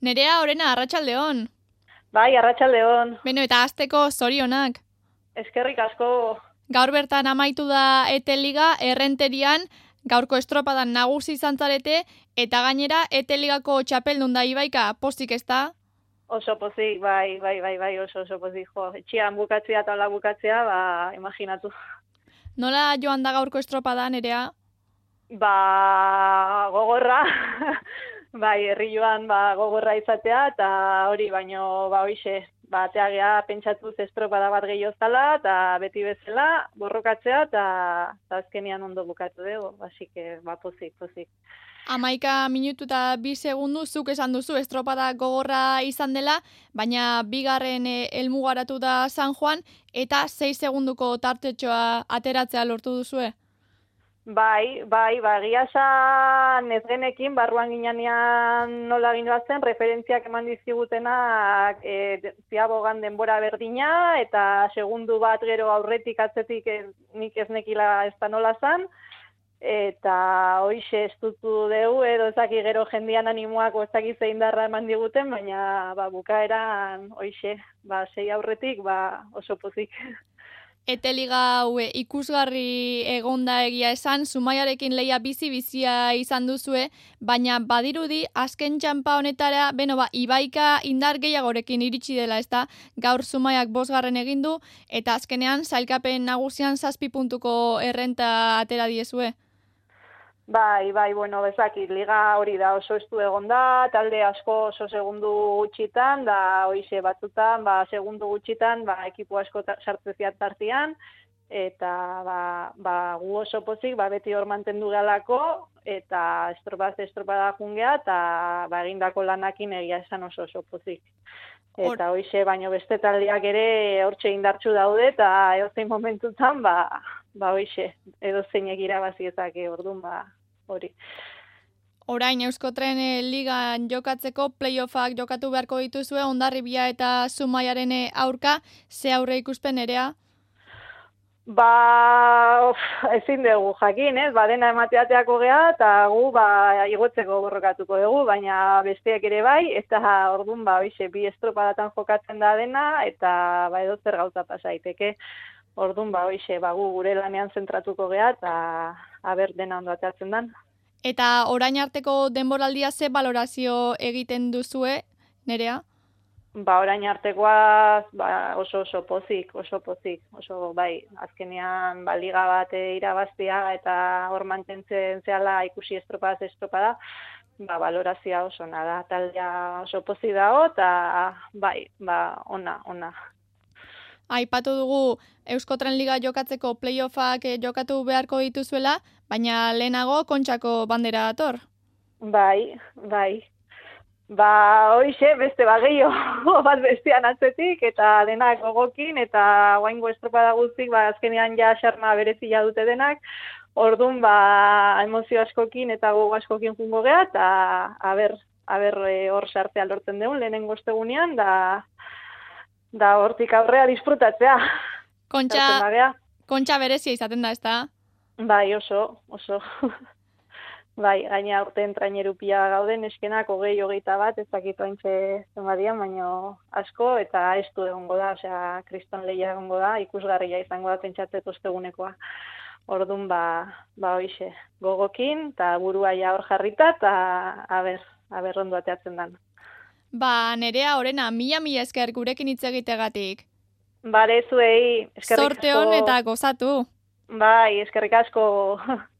Nerea, Orena, arratsaldeon. Bai, arratsaldeon. Beno, eta hasteko zorionak. Eskerrik asko. Gaur bertan amaitu da Eteliga Errenterian, gaurko estropadan nagusi izan zarete, eta gainera Eteligako txapeldun da Ibaika, pozik ezta? Oso pozik, bai, oso pozik, jo. Etxean bukatzea eta hola bukatzea, imaginatu. Nola joan da gaurko estropada, Nerea? Gogorra, bai, herri joan, gogorra izatea, eta hori baino, hoixe, ateagea pentsatuz estropada bat gehiago zala, eta beti bezala, borrokatzea, eta azkenean ondo bukatu dugu, así que, pozik. 11 minutu eta 2 segundu zuk esan duzu estropada gogorra izan dela, baina bigarren helmugaratu da San Juan, eta 6 segunduko tartetxoa ateratzea lortu duzue. Bai, egia esan ez genekin, barruan ginean nola gindoazen, referentziak eman dizkigutenak ziabogan denbora berdina, eta segundu bat gero aurretik atzetik nik ez nekila ez da nola zan, eta hoixe estutu dugu, edo ezaki gero jendian animoak ezaki zein darra eman diguten, baina bukaeran hoixe, 6 aurretik oso pozik. Eteliga hau ikusgarri egonda egia esan, Zumaiarekin lehia bizia izan duzue, baina badirudi azken txanpa honetara, Ibaika indar gehiagorekin iritsi dela, ezta? Gaur Zumaiak 5. egin du, eta azkenean sailkapen nagusian 7 puntuko errenta atera diezue. Bai, bueno, bezakit, liga hori da oso estu egon da, talde asko oso segundu gutxitan, da hoize batzutan, segundu gutxitan, ekipo asko sartzeziat tartian, eta gu oso pozik, beti hor mantendu galako, eta estropada jungea, eta egindako lanakin egia esan oso pozik. Eta hoize, baino beste taldeak ere hortxe indartsu daude, eta edozein momentutan, hoize, edozein irabazi ezake orduan, hori. Orain Euskotren ligan jokatzeko playoffak jokatu beharko dituzue Hondarribia eta Zumaiaren aurka, ze aurre ikuspen Nerea? Ezin dugu jakin, ez? Dena emateateako gea, eta gu igotzeko borrokatuko dugu, baina besteak ere bai, eta orduan hoize, 2 estropadatan jokatzen da dena, eta edozer gauza pasaiteke. Orduan, hoize, gu gure lanean zentratuko gea, eta dena ondo ateatzen dan. Eta orain arteko denboraldia ze balorazio egiten duzue, Nerea? Orain artekoa oso pozik, azkenean liga bat irabaztea eta hor mantentzen zehala ikusi estropada, balorazioa oso nada, taldea oso pozik dago, eta ona. Aipatu dugu Euskotren Liga jokatzeko playoffak jokatu beharko dituzuela, baina lehenago Kontxako bandera dator. Bai. Hoize, beste gehiago bat bestean atzetik, eta denak gogokin, eta guaingo estropada guztik, azkenean ja xarma berezia dute denak, orduan emozio askokin eta gogo askokin jungo geha, eta hor sartzea lortzen dugun lehenengo ostegunean, da hortik aurrea disfrutatzea. Kontxa berezia izaten da, ezta? Bai, oso. Gaina urte traineru pila gauden, eskenak 20-21, ez dakit ointxe zenbadian, baina asko, eta estu egongo da, kriston lehia egongo da, ikusgarria izango da pentsatzet ostegunekoa. Orduan, hoize, gogokin, eta burua ja hor jarrita, eta ondo ateatzen dan. Nerea, Orena, mila esker gurekin hitz egitegatik. Zuei, eskerrik asko. Zorte hon eta gozatu. Eskerrik asko.